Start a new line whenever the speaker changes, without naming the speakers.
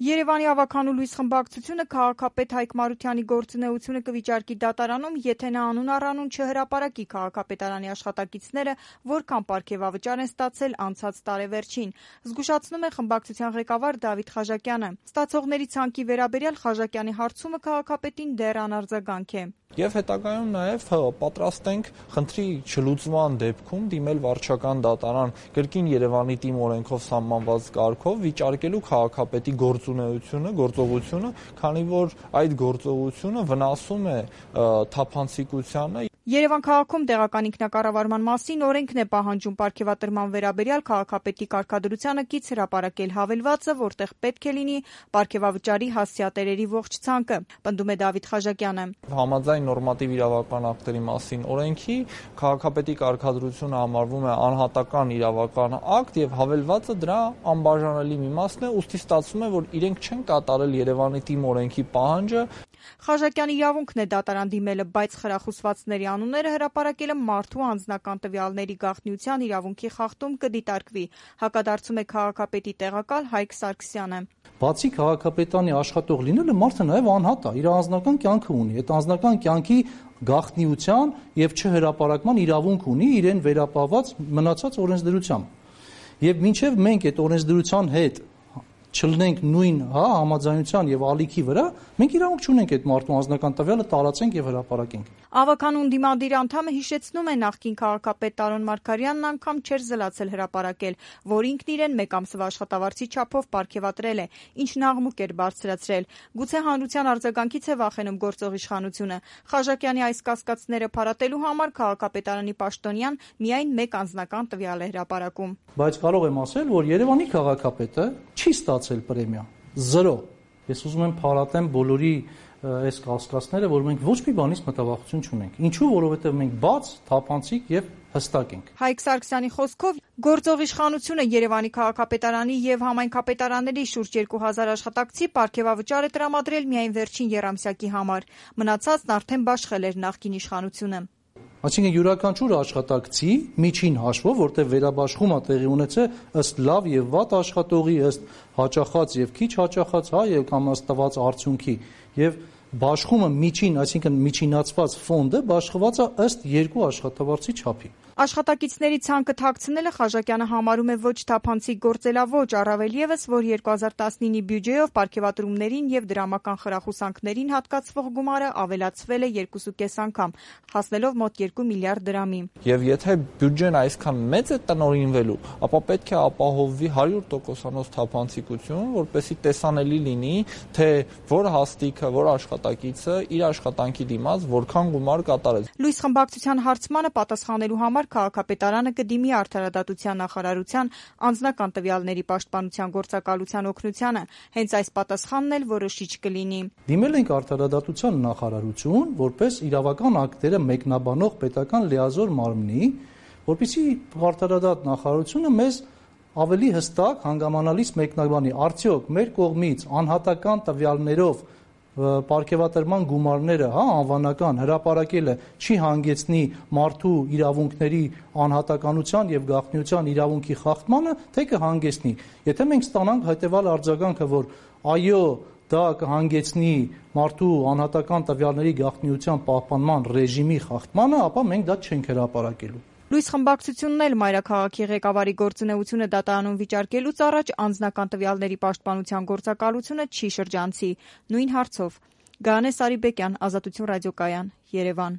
Երևանի ավականու լույս խմբակցությունը քաղաքապետ Հայկ Մարությանի գործունեությունը կվիճարկի դատարանում, եթե նա անուն առանուն չհրապարակի քաղաքապետարանի աշխատակիցները որքան պարգևավճար են ստացել անցած տարեվերջին, զգուշացնում է խմբակցության ղեկավար Դավիթ Խաժակյանը։ Ստացողների ցանկի վերաբերյալ Խաժակյանի հարցումը քաղաքապետին դեռ անարձագանք է։
Եվ հետագայում նաև պատրաստ ենք խնդրի չլուծման դեպքում դիմել վարչական դատարան կրկին Երևանի թիմ օրենքով սահմանված կարգով վիճարկելու քաղաքապետի գործողությունը, քանի որ այդ գործողությունը վնասում է թափանցիկությանը։
Երևան քաղաքում տեղական ինքնակառավարման մասին օրենքն է պահանջում պարգևատրման վերաբերյալ քաղաքապետի կարգադրությանը կից հրապարակել հավելվածը, որտեղ պետք է լինի պարգևավճարի հասցեատերերի ողջ ցանկը, պնդում է Դավիթ Խաժակյանը։
Համաձայն նորմատիվ իրավական ակտերի մասին օրենքի քաղաքապետի կարգադրությունը համարվում է անհատական իրավական ակտ եւ հավելվածը դրա անբաժանելի մի մասն է, ուստի ստացվում է, որ իրենք չեն կատարել Երևանի թիմ օրենքի պահանջը։
Խաժակյանի իրավունքն է դատարան դիմելը, բայց խրախուսվածների անունները հրապարակելը մարդու անձնական տվյալների գաղտնիության իրավունքի խախտում կդիտարկվի, հակադարձում է քաղաքապետի տեղակալ Հայկ Սարգսյանը։
Բացի քաղաքապետանի աշխատող լինելը մարդը նաև անհատ է, իր անձնական կյանքը ունի, այդ անձնական կյանքի գաղտնիության եւ չհրապարակման իրավունք ունի իրեն վերապահված մնացած օրենսդրությամբ։ Եվ մինչև մենք այդ օրենսդրության հետ չլինենք նույն համաձայնության եւ ալիքի վրա, մենք իրավունք չունենք այդ մարդու անձնական տվյալը տարածենք եւ հրապարակենք։
Ավականու ընդդիմադիր անդամը հիշեցնում է նախկին քաղաքապետ Տարոն Մարգարյանն անգամ չէր զլացել հրապարակել, որ ինքն իրեն մեկ ամսվա աշխատավարձի չափով պարգևատրել է, ինչն աղմուկ էր բարձրացրել։ Գուցե հանրության արձագանքից է վախենում գործող իշխանությունը։ Խաժակյանի այս կասկածները փարատելու համար քաղաքապետարանի պաշտոնյան միայն մեկ անձնական տվյալ է հրապարակում։
Բայց կարող եմ ասել, որ Երևանի քաղաքապետը չի ստացել պրեմիա, 0։ Ես ուզում եմ փարատեմ բոլորի այս կասկածները, որ մենք ոչ մի բանից մտավախություն չունենք։ Ինչու՞, որովհետև մենք բաց, թափանցիկ եւ հստակ ենք։
Հայկ Սարգսյանի խոսքով գործող իշխանությունը Երևանի քաղաքապետարանի եւ համայնքապետարանների շուրջ 2000 աշխատակցի պարգևավճար է տրամադրել միայն վերջին եռամսյակի համար։ Մնացածն արդեն բաշխել էր նախկին իշխանությունը։
Այսինքն յուրաքանչյուր աշխատակցի միջին հաշվով, որտեղ վերաբաշխումը տեղի ունեցել ըստ լավ եւ վատ աշխատողի, ըստ հաճախած եւ քիչ հաճախած, եւ կամ ըստ տված արդյունքի, եւ բաշխումը միջին, այսինքն միջինացված ֆոնդը բաշխված է ըստ 2 աշխատավարձի չափի։
Աշխատակիցների ցանկը թաքցնելը Խաժակյանը համարում է ոչ թափանցիկ գործելաոճ, առավել եւս, որ 2019-ի բյուջեով պարգևատրումներին եւ դրամական խրախուսանքներին հատկացվող գումարը ավելացվել է 2.5 անգամ, հասնելով մոտ 2 միլիարդ դրամի։
Եվ եթե բյուջեն այսքան մեծ է տնօրինվելու, ապա պետք է ապահովվի 100%-անոց թափանցիկություն, որպեսզի տեսանելի լինի, թե որ հաստիկը, որ աշխատակիցը իր աշխատանքի դիմաց որքան գումար կատարեց։
Լույս խմբակցության հարցմանը պատասխանելու համար քաղաքապետարանը կդիմի Արդարադատության նախարարության անձնական տվյալների պաշտպանության գործակալության օգնությանը, հենց այս պատասխանն էլ որոշիչ կլինի։
Դիմել ենք Արդարադատության նախարարություն, որպես իրավական ակտերը մեկնաբանող պետական լիազոր մարմնի, որպեսզի Արդարադատ նախարարությունը մեզ ավելի հստակ հանգամանալից մեկնաբանի, արդյոք մեր կողմից անհատական տվյալներով պարգևատրման գումարները, անվանական հրապարակելը չի հանգեցնի մարդու իրավունքների անհատականության եւ գաղտնիության իրավունքի խախտմանը, թե կհանգեցնի։ Եթե մենք ստանանք հետեւյալ արձագանքը, որ այո, դա կհանգեցնի մարդու անհատական տվյալների գաղտնիության պահպանման ռեժիմի խախտմանը, ապա մենք դա չենք հրապարակելու։
Լույս խմբակցությունն էլ մայրաքաղաքի ղեկավարի գործունեությունը դատարանում վիճարկելուց առաջ անձնական տվյալների պաշտպանության գործակալությունը չի շրջանցի։ Նույն հարցով Գայանե Սարիբեկյան, Ազատություն ռադիոկայան, Երևան։